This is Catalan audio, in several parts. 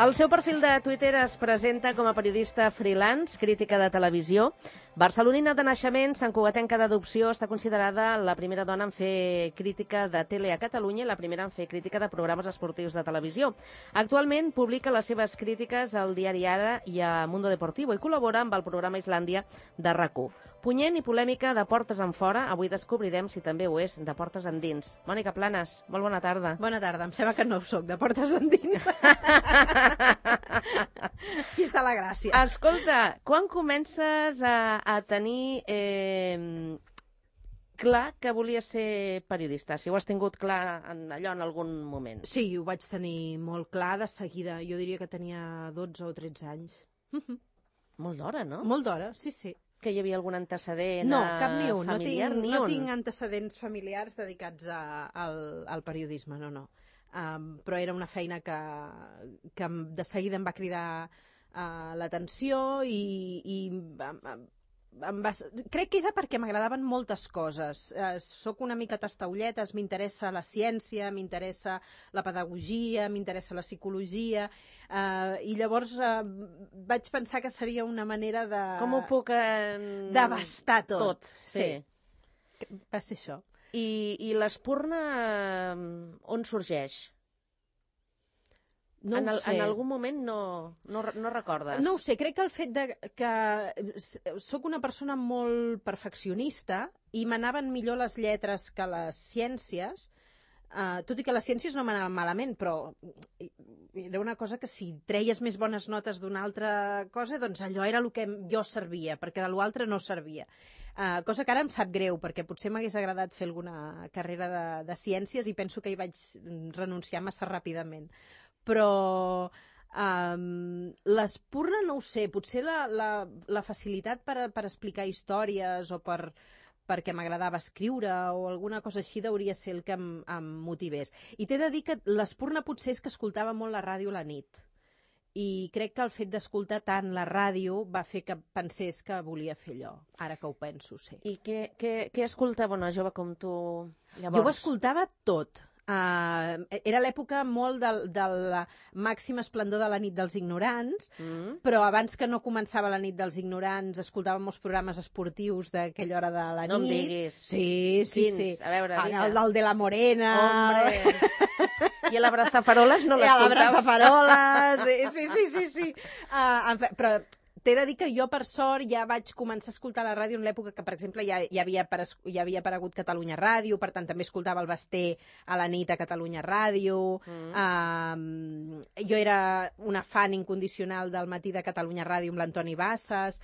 El seu perfil de Twitter es presenta com a periodista freelance, crítica de televisió. Barcelonina de naixement, santcugatenca d'adopció, està considerada la primera dona en fer crítica de tele a Catalunya i la primera en fer crítica de programes esportius de televisió. Actualment publica les seves crítiques al diari Ara i a Mundo Deportivo i col·labora amb el programa Islàndia de RAC1. Punyent i polèmica de portes enfora, avui descobrirem si també ho és de portes endins. Mònica Planes, molt bona tarda. Bona tarda, em sembla que no ho soc, de portes endins. Aquí està la gràcia. Escolta, quan comences a tenir clar que volies ser periodista? Si ho has tingut clar allò en algun moment. Sí, ho vaig tenir molt clar de seguida. Jo diria que tenia 12 o 13 anys. Molt d'hora, no? Molt d'hora, sí, sí. Que hi havia algun antecedent cap ni un. familiar? No tinc antecedents familiars dedicats al periodisme, no. Però era una feina que de seguida em va cridar l'atenció i crec que era perquè m'agradaven moltes coses. Soc una mica tastaulletes, m'interessa la ciència, m'interessa la pedagogia, m'interessa la psicologia, i llavors vaig pensar que seria una manera de... Com ho puc... d'abastar tot. Sí. Va ser això. I l'espurna on sorgeix? No ho sé. En algun moment no recordes? No ho sé, crec que el fet que sóc una persona molt perfeccionista i m'anaven millor les lletres que les ciències, tot i que les ciències no m'anaven malament, però era una cosa que si treies més bones notes d'una altra cosa, doncs allò era el que jo servia, perquè de l'altre no servia. Cosa que ara em sap greu, perquè potser m'hagués agradat fer alguna carrera de ciències i penso que hi vaig renunciar massa ràpidament. Però l'espurna no ho sé, potser la facilitat per explicar històries o perquè m'agradava escriure o alguna cosa així hauria ser el que em motivés. I t'he de dir que l'espurna potser és que escoltava molt la ràdio a la nit i crec que el fet d'escoltar tant la ràdio va fer que pensés que volia fer allò, ara que ho penso, sí. I què escoltava una jove com tu llavors? Jo ho escoltava tot. Era l'època molt del màxim esplendor de la nit dels ignorants, però abans que no començava la nit dels ignorants escoltàvem molts programes esportius d'aquella hora de la nit. No em diguis. Sí. Quins? A veure, el de la Morena. Hombre. I a l'Abrazafaroles no l'escoltaves? I a l'Abrazafaroles, sí. Però t'he de dir que jo, per sort, ja vaig començar a escoltar la ràdio en l'època que, per exemple, ja havia aparegut Catalunya Ràdio, per tant, també escoltava el Basté a la nit a Catalunya Ràdio. Jo era una fan incondicional del Matí de Catalunya Ràdio amb l'Antoni Bassas.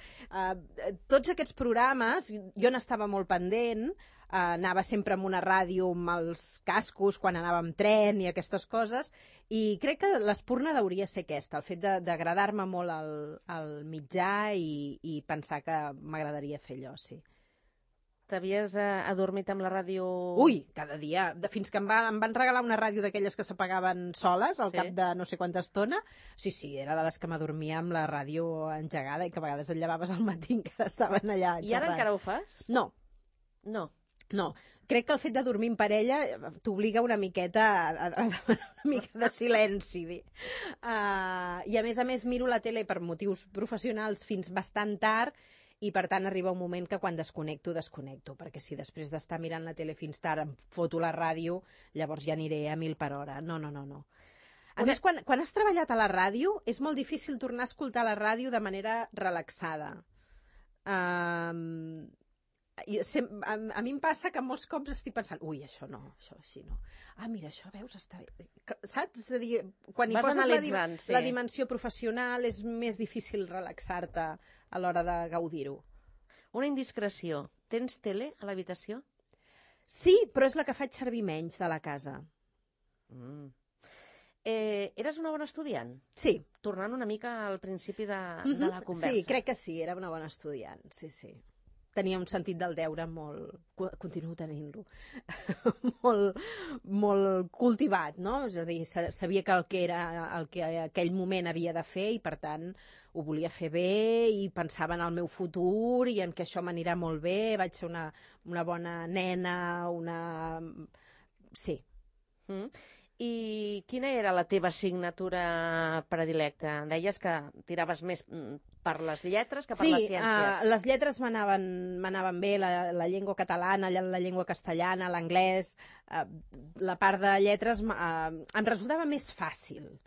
Tots aquests programes, jo n'estava molt pendent, anava sempre amb una ràdio amb els cascos quan anava amb tren i aquestes coses, i crec que l'espurna hauria ser aquesta, el fet d'agradar-me molt el mitjà i pensar que m'agradaria fer allò, sí. T'havies adormit amb la ràdio? Ui, cada dia, fins que em van regalar una ràdio d'aquelles que s'apagaven soles al cap de no sé quanta estona. Sí, era de les que m'adormia amb la ràdio engegada i que a vegades et llevaves al matí encara estaven allà xerrant. I ara encara ho fas? No. No, crec que el fet de dormir en parella t'obliga una miqueta a demanar una mica de silenci. I a més miro la tele per motius professionals fins bastant tard i per tant arriba un moment que quan desconnecto, perquè si després d'estar mirant la tele fins tard em foto la ràdio, llavors ja aniré a 1000 per hora. No. A més, quan has treballat a la ràdio és molt difícil tornar a escoltar la ràdio de manera relaxada. A mi em passa que molts cops estic pensant això així no. Mira, això, veus, està bé. Saps? És a dir, quan hi poses la dimensió professional és més difícil relaxar-te a l'hora de gaudir-ho. Una indiscreció. Tens tele a l'habitació? Sí, però és la que faig servir menys de la casa. Eres una bona estudiant? Sí. Tornant una mica al principi de la conversa. Sí, crec que sí, era una bona estudiant, sí. Tenia un sentit del deure molt... Continuo tenint-lo. molt cultivat, no? És a dir, sabia que el que aquell moment havia de fer i, per tant, ho volia fer bé i pensava en el meu futur i en que això m'anirà molt bé, vaig ser una bona nena, Sí. I quina era la teva assignatura predilecta? Deies que tiraves més per les lletres que per les ciències. Sí, les lletres m'anaven bé, la llengua catalana, la llengua castellana, l'anglès, la part de lletres em resultava més fàcil.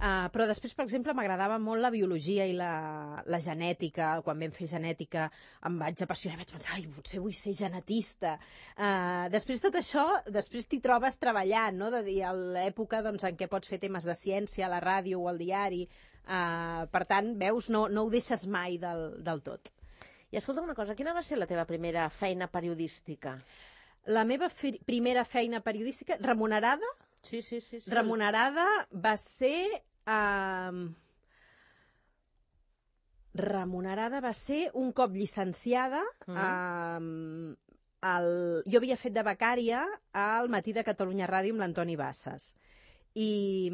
Però després, per exemple, m'agradava molt la biologia i la genètica. Quan vam fer genètica em vaig apassionar, vaig pensar, potser vull ser genetista. Després tot això, després t'hi trobes treballant, no? De dir, a l'època doncs, en què pots fer temes de ciència a la ràdio o al diari. Per tant, veus, no ho deixes mai del tot. I escolta una cosa, quina va ser la teva primera feina periodística? La meva primera feina periodística, remunerada? Sí. Remunerada va ser... remunerada va ser un cop llicenciada. Jo havia fet de becària al Matí de Catalunya Ràdio amb l'Antoni Bassas. I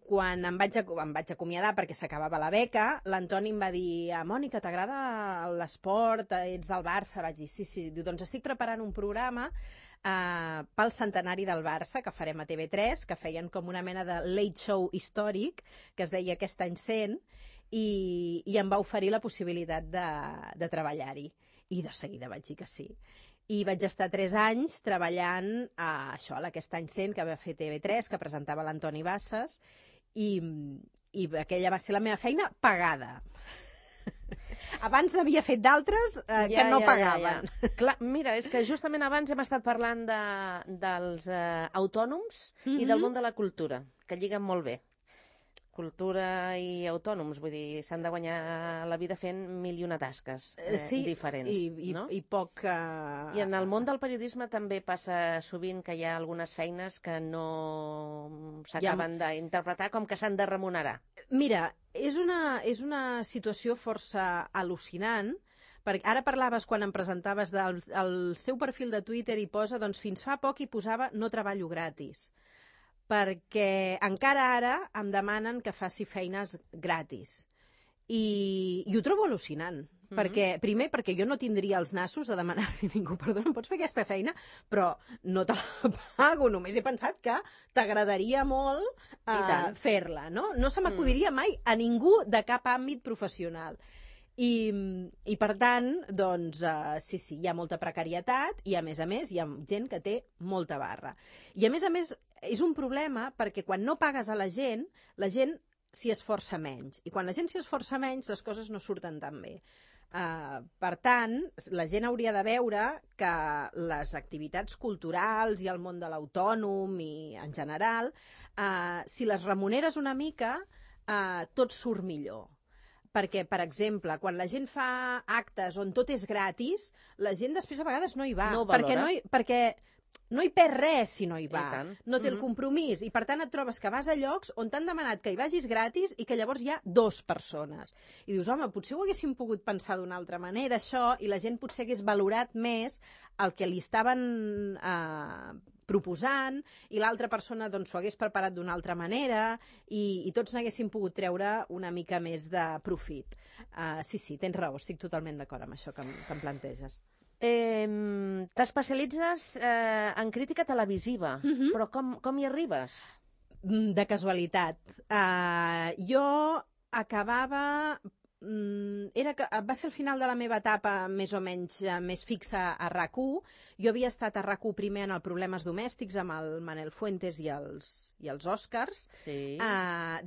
quan em vaig acomiadar perquè s'acabava la beca, l'Antoni em va dir: Mònica, t'agrada l'esport? Ets del Barça? Vaig dir, sí. Diu, doncs estic preparant un programa pel centenari del Barça, que farem a TV3, que feien com una mena de late show històric, que es deia Aquest any 100, i em va oferir la possibilitat de treballar-hi. I de seguida vaig dir que sí. I vaig estar 3 anys treballant a l'Aquest any 100, que va fer TV3, que presentava l'Antoni Bassas, i aquella va ser la meva feina pagada. Abans havia fet d'altres que no pagaven. Clar, mira, és que justament abans hem estat parlant dels autònoms i del món de la cultura, que lliguen molt bé. Cultura i autònoms, vull dir, s'han de guanyar la vida fent mil i una tasques diferents. No? I poc... I en el món del periodisme també passa sovint que hi ha algunes feines que no s'acaben d'interpretar com que s'han de remunerar. Mira, és una situació força al·lucinant, perquè ara parlaves, quan em presentaves, del seu perfil de Twitter, i posa, doncs fins fa poc hi posava no treballo gratis, perquè encara ara em demanen que faci feines gratis. I ho trobo al·lucinant. Primer, perquè jo no tindria els nassos a demanar-li a ningú, perdona, em pots fer aquesta feina, però no te la pago, només he pensat que t'agradaria molt fer-la, no? No se m'acudiria mai a ningú de cap àmbit professional. I per tant, doncs, sí, hi ha molta precarietat i, a més, hi ha gent que té molta barra. I, a més, és un problema perquè quan no pagues a la gent s'hi esforça menys. I quan la gent s'hi esforça menys, les coses no surten tan bé. Per tant, la gent hauria de veure que les activitats culturals i el món de l'autònom i, en general, si les remuneres una mica, tot surt millor. Perquè, per exemple, quan la gent fa actes on tot és gratis, la gent després a vegades no hi va. No ho valora. Perquè no hi perd res si no hi va. No té el compromís. I per tant et trobes que vas a llocs on t'han demanat que hi vagis gratis i que llavors hi ha 2 persones. I dius, home, potser ho haguéssim pogut pensar d'una altra manera, això, i la gent potser hagués valorat més el que li estaven proposant, i l'altra persona doncs, s'ho hagués preparat d'una altra manera, i tots n'haguéssim pogut treure una mica més de profit. Sí, tens raó, estic totalment d'acord amb això que em planteges. T'especialitzes en crítica televisiva, però com hi arribes? De casualitat. Jo acabava... va ser el final de la meva etapa més o menys més fixa a RAC1. Jo havia estat a RAC1 primer en el Problemes Domèstics amb el Manel Fuentes i els Oscars. Sí.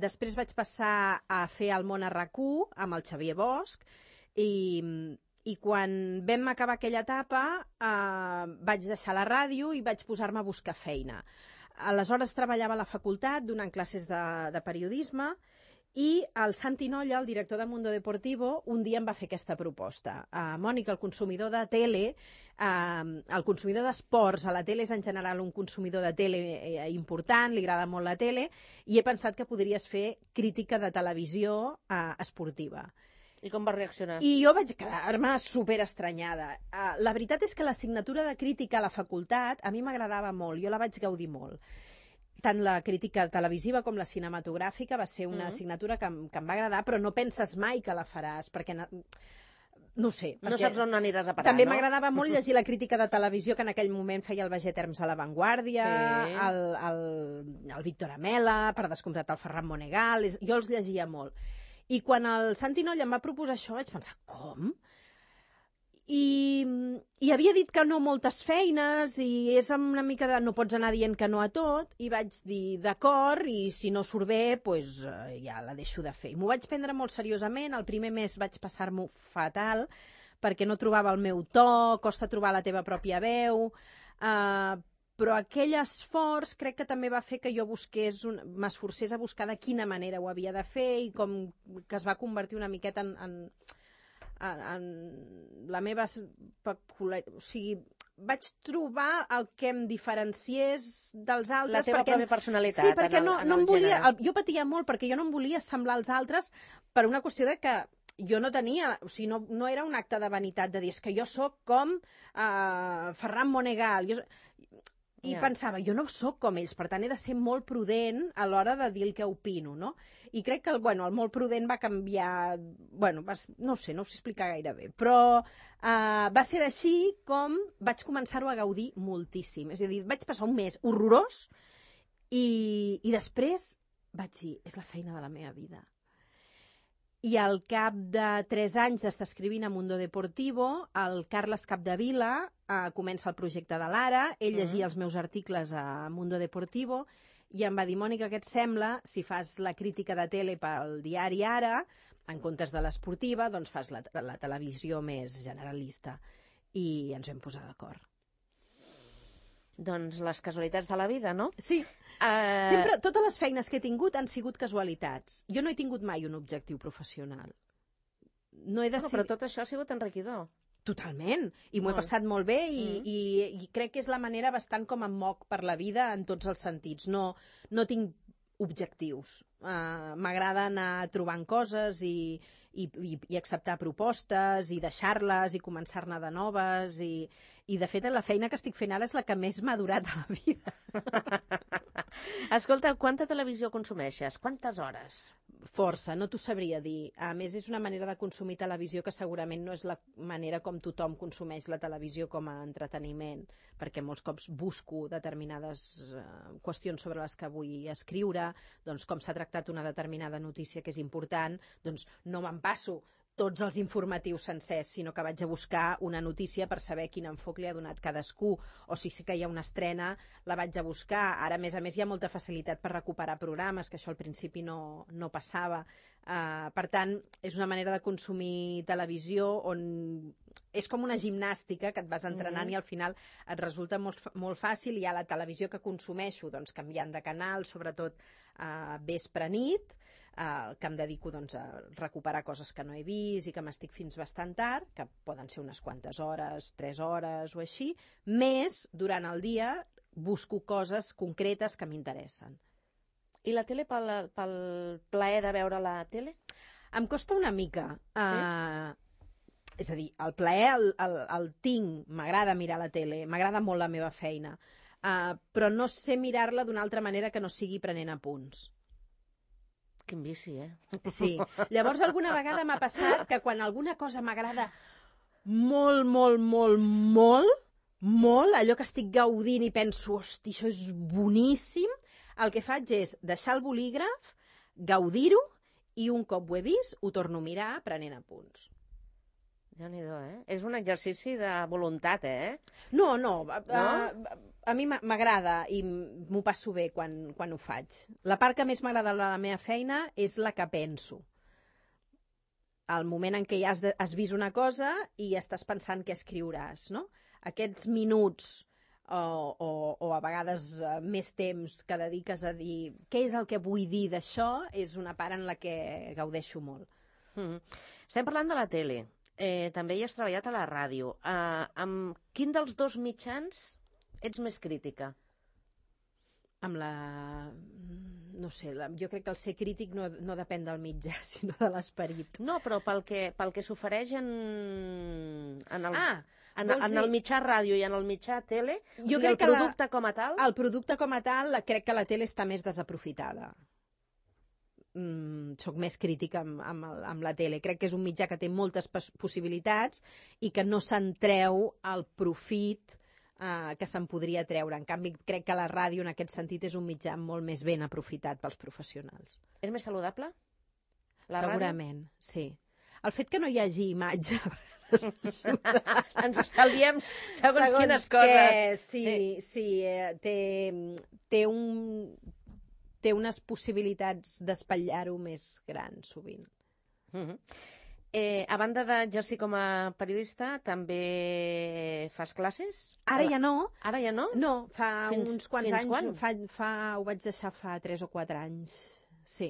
Després vaig passar a fer El món a RAC1 amb el Xavier Bosch, i quan vam acabar aquella etapa vaig deixar la ràdio i vaig posar-me a buscar feina. Aleshores treballava a la facultat donant classes de periodisme, i el Santi Nolla, el director de Mundo Deportivo, un dia em va fer aquesta proposta. Mònica, el consumidor de tele, el consumidor d'esports a la tele és en general un consumidor de tele important, li agrada molt la tele, i he pensat que podries fer crítica de televisió esportiva. I com vas reaccionar? I jo vaig quedar-me superestranyada. La veritat és que l'assignatura de crítica a la facultat a mi m'agradava molt, jo la vaig gaudir molt. Tant la crítica televisiva com la cinematogràfica va ser una assignatura que em va agradar, però no penses mai que la faràs, perquè no ho sé. No saps on aniràs a parar, també no? m'agradava molt llegir la crítica de televisió que en aquell moment feia el Baget Herms a La Vanguardia, el Víctor Amela, per descomptat el Ferran Monegal, jo els llegia molt. I quan el Santi Noll em va proposar això vaig pensar, com? I havia dit que no moltes feines i és una mica de no pots anar dient que no a tot, i vaig dir d'acord, i si no surt bé pues, ja la deixo de fer. I m'ho vaig prendre molt seriosament. El primer mes vaig passar-m'ho fatal perquè no trobava el meu to, costa trobar la teva pròpia veu, però aquell esforç crec que també va fer que jo m'esforcés a buscar de quina manera ho havia de fer i com que es va convertir una miqueta en la meva peculiaritat, o sigui, vaig trobar el que em diferenciés dels altres. La teva pròpia personalitat. Sí, perquè no em volia... gènere. Jo patia molt perquè jo no em volia semblar als altres per una qüestió de que jo no tenia, o sigui, no era un acte de vanitat de dir, és que jo sóc com Ferran Monegal. I pensava, jo no sóc com ells, per tant he de ser molt prudent a l'hora de dir el que opino, no? I crec que el molt prudent va canviar... no sé explicar gaire bé, però va ser així com vaig començar-ho a gaudir moltíssim. És a dir, vaig passar un mes horrorós i després vaig dir, és la feina de la meva vida. I al cap de 3 anys d'estar escrivint a Mundo Deportivo, el Carles Capdevila comença el projecte de l'Ara, ell llegia els meus articles a Mundo Deportivo i em va dir, Mònica, què et sembla si fas la crítica de tele pel diari Ara, en comptes de l'esportiva, doncs fas la televisió més generalista. I ens vam posar d'acord. Doncs les casualitats de la vida, no? Sí. Sempre, totes les feines que he tingut han sigut casualitats. Jo no he tingut mai un objectiu professional. No he decidit... Però tot això ha sigut enriquidor. Totalment. I m'ho he passat molt bé i crec que és la manera bastant com em moc per la vida en tots els sentits. No tinc objectius. M'agrada anar trobant coses i acceptar propostes i deixar-les i començar-ne de noves i de fet la feina que estic fent ara és la que més m'ha durat a la vida. Escolta, quanta televisió consumeixes? Quantes hores? Força, no t'ho sabria dir. A més, és una manera de consumir televisió que segurament no és la manera com tothom consumeix la televisió com a entreteniment, perquè molts cops busco determinades qüestions sobre les que vull escriure, doncs com s'ha tractat una determinada notícia que és important, doncs no me'n passo tots els informatius sencers, sinó que vaig a buscar una notícia per saber quin enfoc li ha donat cadascú, o si sé que hi ha una estrena, la vaig a buscar. Ara, a més, hi ha molta facilitat per recuperar programes, que això al principi no passava. Per tant, és una manera de consumir televisió on és com una gimnàstica que et vas entrenant i al final et resulta molt fàcil. Hi ha la televisió que consumeixo, doncs, canviant de canal, sobretot vespre-nit, que em dedico doncs, a recuperar coses que no he vist i que m'estic fins bastant tard, que poden ser unes quantes hores, 3 hores o així, més durant el dia busco coses concretes que m'interessen. I la tele pel plaer de veure la tele? Em costa una mica. És a dir, el plaer el tinc, m'agrada mirar la tele, m'agrada molt la meva feina, però no sé mirar-la d'una altra manera que no sigui prenent apunts. Quin vici, Sí. Llavors, alguna vegada m'ha passat que quan alguna cosa m'agrada molt, molt, molt, molt, molt, allò que estic gaudint i penso, hosti, això és boníssim, el que faig és deixar el bolígraf, gaudir-ho, i un cop ho he vist, ho torno a mirar prenent apunts. Déu-n'hi-do, És un exercici de voluntat, No. A mi m'agrada i m'ho passo bé quan ho faig. La part que més m'agrada de la meva feina és la que penso. El moment en què ja has vist una cosa i estàs pensant què escriuràs, no? Aquests minuts o a vegades més temps que dediques a dir què és el que vull dir d'això és una part en la que gaudeixo molt. Estem parlant de la tele. També hi has treballat a la ràdio. Amb quin dels dos mitjans ets més crítica? Amb la... No sé, jo crec que el ser crític no depèn del mitjà, sinó de l'esperit. No, però pel que s'ofereix en el mitjà ràdio i en el mitjà tele, jo crec que el producte com a tal... El producte com a tal, crec que la tele està més desaprofitada. soc més crítica amb la tele. Crec que és un mitjà que té moltes possibilitats i que no se'n treu el profit que se'n podria treure. En canvi, crec que la ràdio, en aquest sentit, és un mitjà molt més ben aprofitat pels professionals. És més saludable? Segurament, sí. El fet que no hi hagi imatge ens estalviem segons quines coses. Sí, té unes possibilitats d'espatllar-ho més grans, sovint. A banda d'exercir com a periodista, també fas classes? Ara ja no. Ara ja no? No, fa uns quants anys. Quan? Ho vaig deixar fa 3 o 4 anys, sí.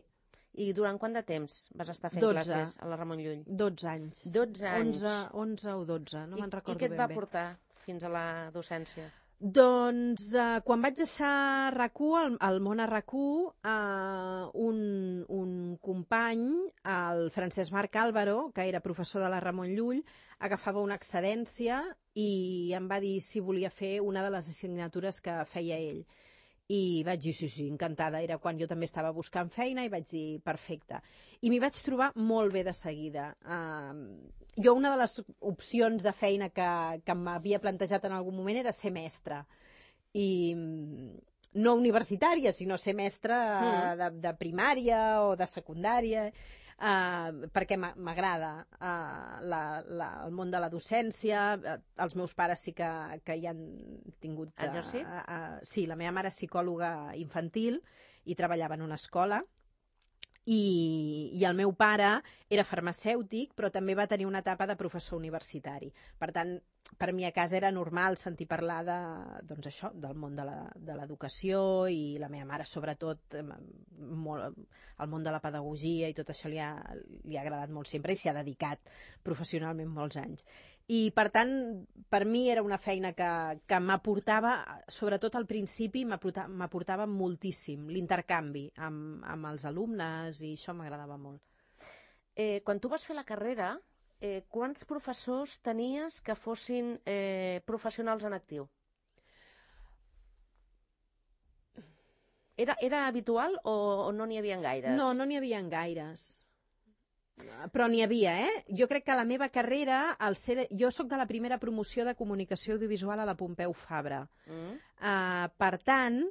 I durant quant de temps vas estar fent classes a la Ramon Llull? 12 anys. 12 anys. 11 o 12, no me'n recordo ben bé. I què et va portar fins a la docència? Doncs quan vaig deixar RAC1, al món a RAC1, un company, el Francesc Marc Álvaro, que era professor de la Ramon Llull, agafava una excedència i em va dir si volia fer una de les assignatures que feia ell. I vaig dir, sí, encantada. Era quan jo també estava buscant feina i vaig dir, perfecte. I m'hi vaig trobar molt bé de seguida. Jo una de les opcions de feina que m'havia plantejat en algun moment era ser mestra. I no universitària, sinó ser mestra de primària o de secundària, perquè m'agrada el món de la docència. Els meus pares sí que hi han tingut... Exercit? Sí, la meva mare és psicòloga infantil i treballava en una escola. I el meu pare era farmacèutic, però també va tenir una etapa de professor universitari. Per tant, per mi a casa era normal sentir parlar doncs això, del món de l'educació, i la meva mare, sobretot, el món de la pedagogia i tot això li ha agradat molt sempre i s'hi ha dedicat professionalment molts anys. I, per tant, per mi era una feina que m'aportava, sobretot al principi, m'aportava moltíssim l'intercanvi amb els alumnes, i això m'agradava molt. Quan tu vas fer la carrera, quants professors tenies que fossin professionals en actiu? Era habitual o no n'hi havia gaires? No n'hi havia gaires. Però n'hi havia, Jo crec que a la meva carrera, jo sóc de la primera promoció de comunicació audiovisual a la Pompeu Fabra. Per tant,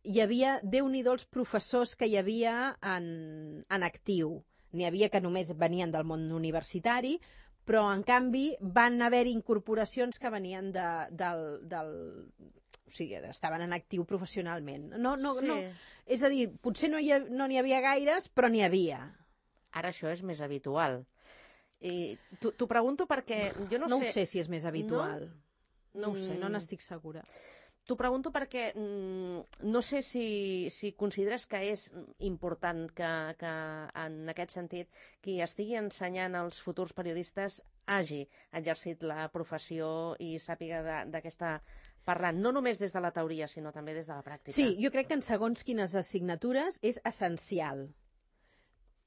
hi havia, Déu-n'hi-do els professors que hi havia en actiu. N'hi havia que només venien del món universitari, però, en canvi, van haver-hi incorporacions que venien del... O sigui, estaven en actiu professionalment. No, és a dir, potser no n'hi havia gaires, però n'hi havia. Ara això és més habitual. I t'ho pregunto perquè jo no sé... No ho sé si és més habitual. No ho sé, no n'estic segura. T'ho pregunto perquè no sé si consideres que és important que en aquest sentit qui estigui ensenyant als futurs periodistes hagi exercit la professió i sàpiga de què està parlant, no només des de la teoria, sinó també des de la pràctica. Sí, jo crec que en segons quines assignatures és essencial.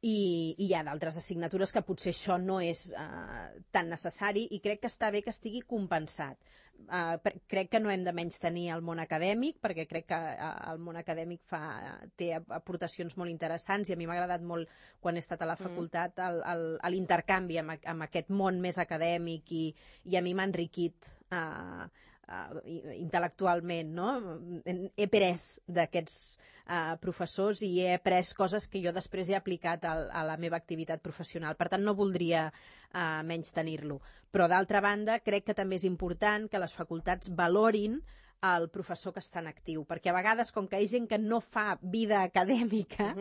I hi ha d'altres assignatures que potser això no és tan necessari, i crec que està bé que estigui compensat. Crec que no hem de menystenir el món acadèmic, perquè crec que el món acadèmic té aportacions molt interessants, i a mi m'ha agradat molt, quan he estat a la facultat, l'intercanvi amb aquest món més acadèmic, i a mi m'ha enriquit intel·lectualment, no? He après d'aquests professors i he après coses que jo després he aplicat a la meva activitat professional. Per tant, no voldria menystenir-lo. Però, d'altra banda, crec que també és important que les facultats valorin el professor que està en actiu, perquè a vegades, com que hi ha gent que no fa vida acadèmica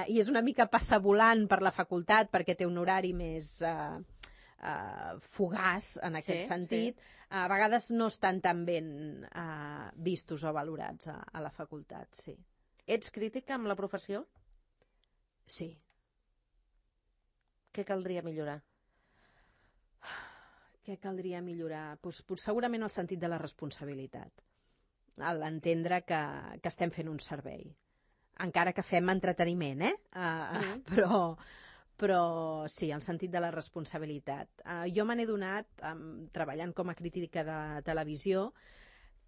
i és una mica passa volant per la facultat perquè té un horari més fugaç en aquest sentit, a vegades no estan tan ben vistos o valorats a la facultat, sí. Ets crítica amb la professió? Sí. Què caldria millorar? Què caldria millorar? Pues, segurament el sentit de la responsabilitat. L'entendre que estem fent un servei. Encara que fem entreteniment, però sí, el sentit de la responsabilitat. Jo me n'he donat, treballant com a crítica de televisió,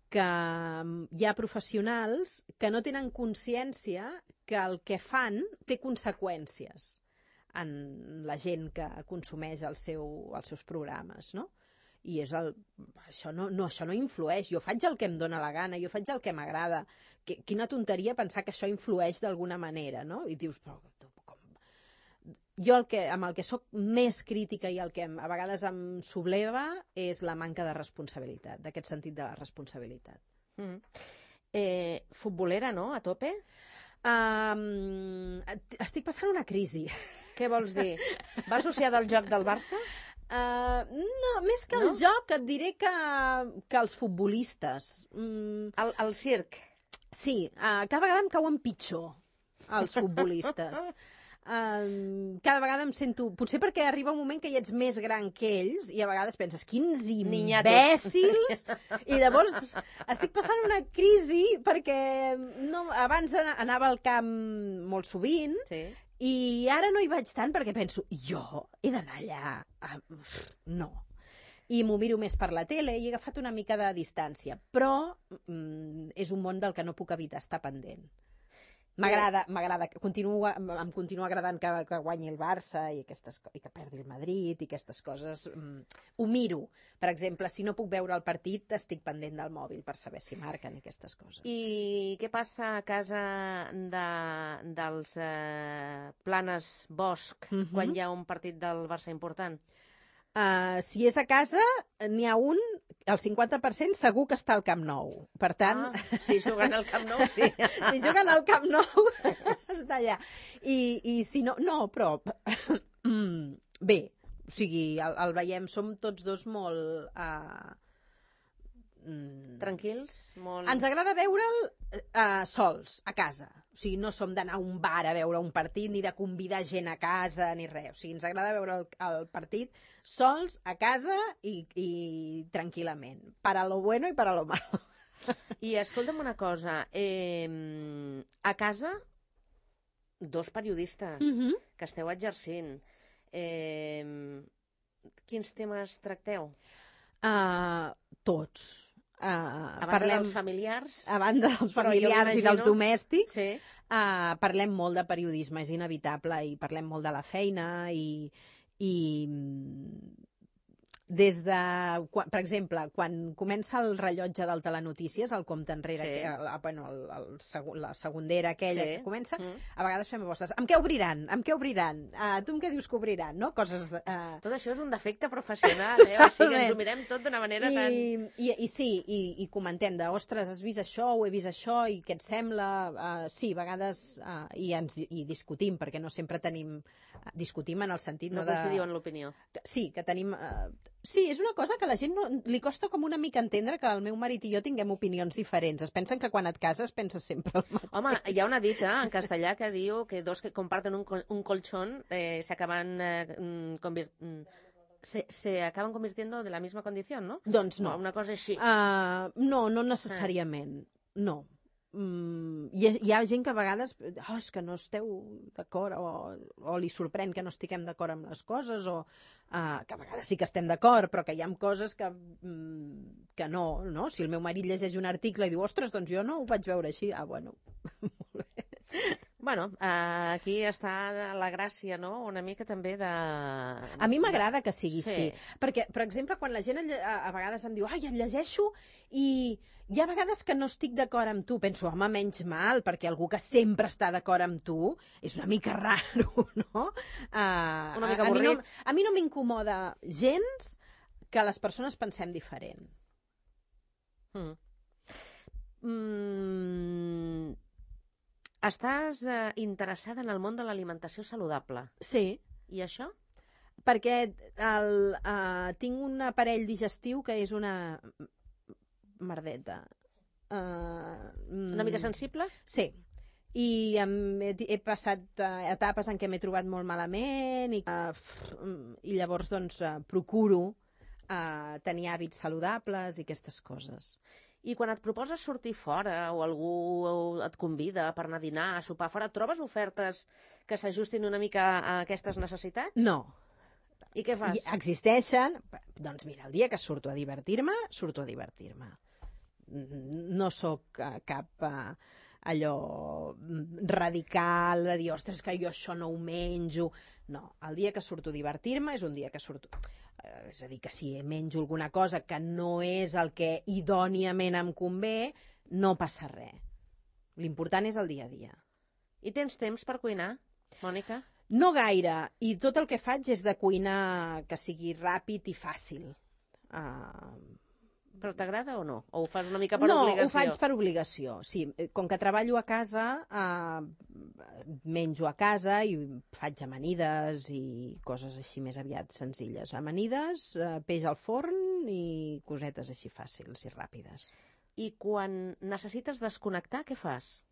que hi ha professionals que no tenen consciència que el que fan té conseqüències en la gent que consumeix els seus programes, no? I això no influeix. Jo faig el que em dóna la gana, jo faig el que m'agrada. Quina tonteria pensar que això influeix d'alguna manera, no? I dius, però com? Jo amb el que sóc més crítica i el que a vegades em subleva és la manca de responsabilitat, d'aquest sentit de la responsabilitat. Futbolera, no? A tope? Estic passant una crisi. Què vols dir? Va associada al joc del Barça? No, més que el joc et diré que els futbolistes. El circ. Sí, cada vegada em cauen pitjor els futbolistes. Cada vegada em sento... Potser perquè arriba un moment que ja ets més gran que ells i a vegades penses, quins imbècils! I llavors estic passant una crisi perquè abans anava al camp molt sovint, sí. I ara no hi vaig tant perquè penso, jo he d'anar allà? No. I m'ho miro més per la tele i he agafat una mica de distància. Però és un món del que no puc evitar estar pendent. M'agrada, em continua agradant que guanyi el Barça i que perdi el Madrid i aquestes coses. Ho miro. Per exemple, si no puc veure el partit, estic pendent del mòbil per saber si marquen aquestes coses. I què passa a casa dels Planes Bosch quan hi ha un partit del Barça important? Si és a casa, n'hi ha un, el 50% segur que està al Camp Nou. Per tant... si juguen al Camp Nou, sí. Si juguen al Camp Nou, està allà. I si no... No, però... Bé, o sigui, el veiem, som tots dos molt... Tranquils? Molt... Ens agrada veure'l sols, a casa. O sigui, no som d'anar a un bar a veure un partit, ni de convidar gent a casa, ni res. O sigui, ens agrada veure el partit sols, a casa i tranquil·lament. Para lo bueno i para lo malo. I escolta'm una cosa. A casa, dos periodistes que esteu exercint. Quins temes tracteu? Tots. A banda dels familiars? A banda dels familiars i dels domèstics, sí. Parlem molt de periodisme, és inevitable, i parlem molt de la feina i des de... Per exemple, quan comença el rellotge del Telenotícies, el compte enrere, sí. La segondera aquella que comença, a vegades fem apostes. Amb què obriran? Tu amb què dius que obriran? No? Coses... Tot això és un defecte professional, o sigui que ens ho mirem tot d'una manera tan... I comentem de, ostres, has vist això, ho he vist això, i què et sembla? Sí, a vegades i discutim, perquè no sempre tenim... Discutim en el sentit... No coincidiu en l'opinió. Sí, que tenim... Sí, és una cosa que a la gent li costa com una mica entendre que el meu marit i jo tinguem opinions diferents. Es pensen que quan et cases penses sempre el mateix. Home, hi ha una dita en castellà que diu que dos que comparten un colchón se acaban convirtiendo de la misma condición, ¿no? Doncs no. Una cosa així. No necessàriament. No. Hi ha gent que a vegades és que no esteu d'acord o li sorprèn que no estiguem d'acord amb les coses o que a vegades sí que estem d'acord però que hi ha coses que no. Si el meu marit llegeix un article i diu, ostres, doncs jo no ho vaig veure així. Bueno, molt bé. Bueno, aquí està la gràcia, no?, una mica també de... A mi m'agrada que sigui així. Perquè, per exemple, quan la gent a vegades em diu et llegeixo i hi ha vegades que no estic d'acord amb tu. Penso, home, menys mal, perquè algú que sempre està d'acord amb tu és una mica raro, no? Una mica avorrit. A mi no m'incomoda gens que les persones pensem diferent. Estàs interessada en el món de l'alimentació saludable. Sí. I això? Perquè tinc un aparell digestiu que és una merdeta. Una mica sensible? Sí. I he passat etapes en què m'he trobat molt malament i llavors doncs procuro tenir hàbits saludables i aquestes coses. I quan et proposes sortir fora o algú et convida per anar a dinar, a sopar fora, trobes ofertes que s'ajustin una mica a aquestes necessitats? No. I què fas? Existeixen. Doncs mira, el dia que surto a divertir-me, surto a divertir-me. No sóc cap allò radical, de dir, ostres, que jo això no ho menjo. No, el dia que surto a divertir-me és un dia que surto... És a dir, que si menjo alguna cosa que no és el que idòniament em convé, no passa res. L'important és el dia a dia. I tens temps per cuinar, Mònica? No gaire, i tot el que faig és de cuinar que sigui ràpid i fàcil. Però t'agrada o no? O ho fas una mica per obligació? No, ho faig per obligació, sí. Com que treballo a casa, menjo a casa i faig amanides i coses així més aviat senzilles. Amanides, peix al forn i cosetes així fàcils i ràpides. I quan necessites desconnectar, què fas?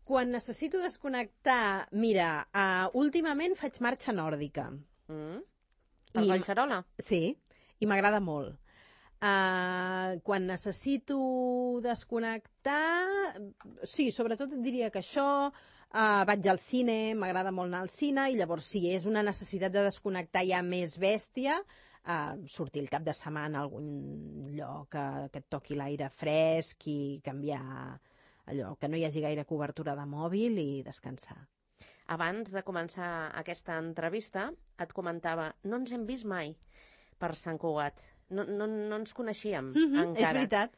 Quan necessito desconnectar, mira, últimament faig marxa nòrdica. Per Collserola? Sí, i m'agrada molt. Quan necessito desconnectar, sí, sobretot et diria que això, vaig al cine, m'agrada molt anar al cine, i llavors si és una necessitat de desconnectar ja més bèstia, sortir el cap de setmana a algun lloc que et toqui l'aire fresc i canviar allò, que no hi hagi gaire cobertura de mòbil i descansar. Abans de començar aquesta entrevista et comentava, no ens hem vist mai per Sant Cugat. No ens coneixíem encara. És veritat.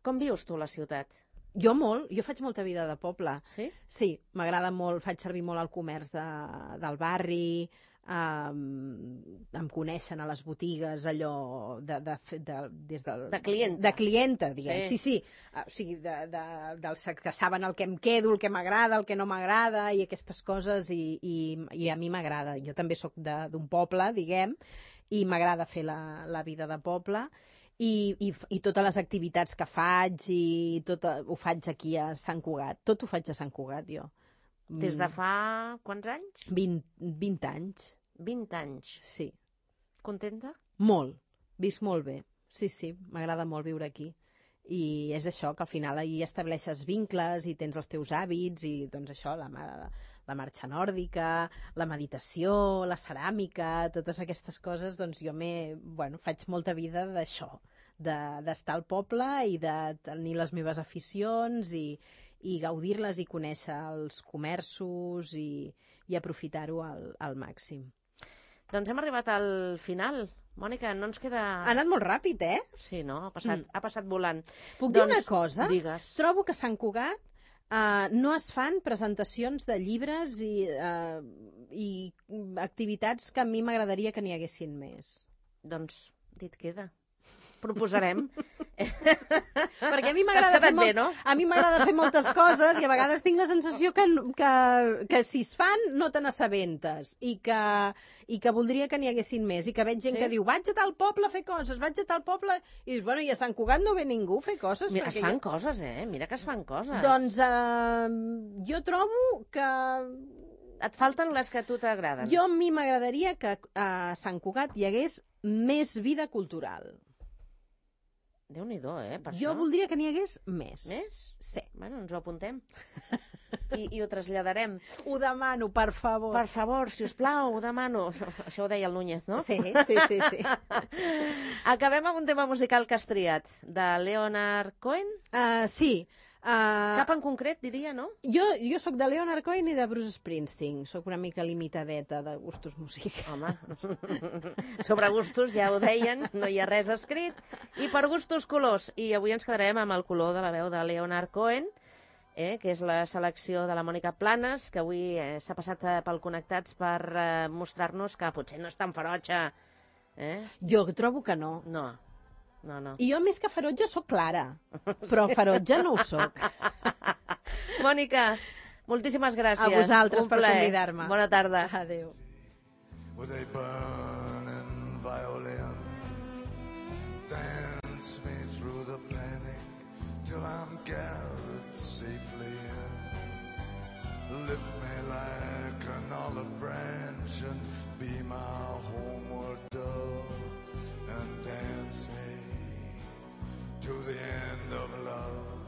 Com vius tu la ciutat? Jo molt, jo faig molta vida de poble. Sí? Sí, m'agrada molt, faig servir molt el comerç del barri, em coneixen a les botigues allò des del... De clienta. De clienta, diguem. Sí. Sí. O sigui, dels que saben el que em quedo, el que m'agrada, el que no m'agrada, i aquestes coses, i a mi m'agrada. Jo també sóc d'un poble, diguem, i m'agrada fer la vida de poble, i totes les activitats que faig, i tot ho faig aquí a Sant Cugat. Tot ho faig a Sant Cugat, jo. Des de fa quants anys? 20 anys. 20 anys. Sí. Contenta? Molt. Visc molt bé. Sí, m'agrada molt viure aquí. I és això, que al final hi estableixes vincles i tens els teus hàbits i doncs això, la marxa nòrdica, la meditació, la ceràmica, totes aquestes coses, doncs jo faig molta vida d'això, d'estar al poble i de tenir les meves aficions i gaudir-les i conèixer els comerços i aprofitar-ho al màxim. Doncs hem arribat al final. Mònica, no ens queda... Ha anat molt ràpid, eh? Sí, no? Ha passat volant. Puc dir una cosa? Digues. Trobo que a Sant Cugat no es fan presentacions de llibres i activitats que a mi m'agradaria que n'hi haguessin més. Doncs dit queda. Proposarem. Perquè a mi m'agrada fer moltes coses i a vegades tinc la sensació que si es fan no te n'assabentes i que voldria que n'hi haguessin més i que veig gent que diu vaig a tal poble a fer coses, vaig a tal poble i dius, bueno, i a Sant Cugat no ve ningú a fer coses. Mira, es fan coses, mira que es fan coses. Doncs jo trobo que... Et falten les que a tu t'agraden. A mi m'agradaria que a Sant Cugat hi hagués més vida cultural. Déu-n'hi-do, per això. Jo voldria que n'hi hagués més. Més? Sí. Bueno, ens ho apuntem. I ho traslladarem. Ho demano, per favor. Per favor, si us plau, ho demano. Això ho deia el Núñez, no? Sí. Acabem amb un tema musical que has triat, de Leonard Cohen? Sí. Cap en concret, diria, no? Jo sóc de Leonard Cohen i de Bruce Springsteen. Sóc una mica limitadeta de gustos musicals. Home, sobre gustos ja ho deien, no hi ha res escrit. I per gustos, colors. I avui ens quedarem amb el color de la veu de Leonard Cohen, que és la selecció de la Mònica Planes, que avui s'ha passat pel Connectats per mostrar-nos que potser no és tan ferotge. Jo trobo que no. No. I jo més que ferotge sóc clara, però ferotge no ho sóc. Mònica, moltíssimes gràcies. A vosaltres per convidar-me. Bona tarda. Adéu. With a burning violin, dance me through the panic till I'm gathered safely in. Lift me like an olive branch and be my homeward dove, and dance me to the end of love.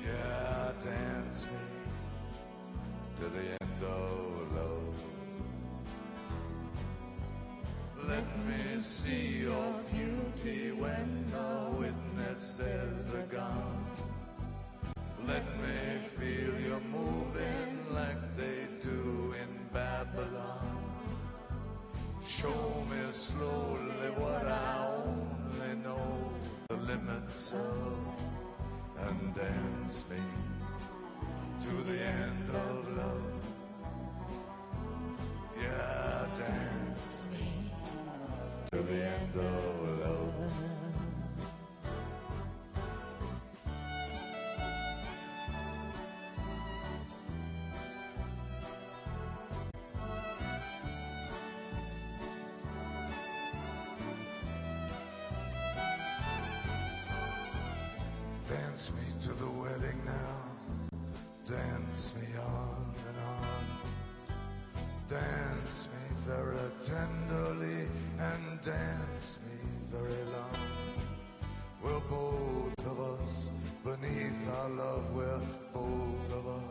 Yeah, dance me to the end of love. Let me see your beauty when the witnesses are gone. Dance me to the wedding now. Dance me on and on. Dance me very tenderly and dance me very long. We're both of us beneath our love. We're both of us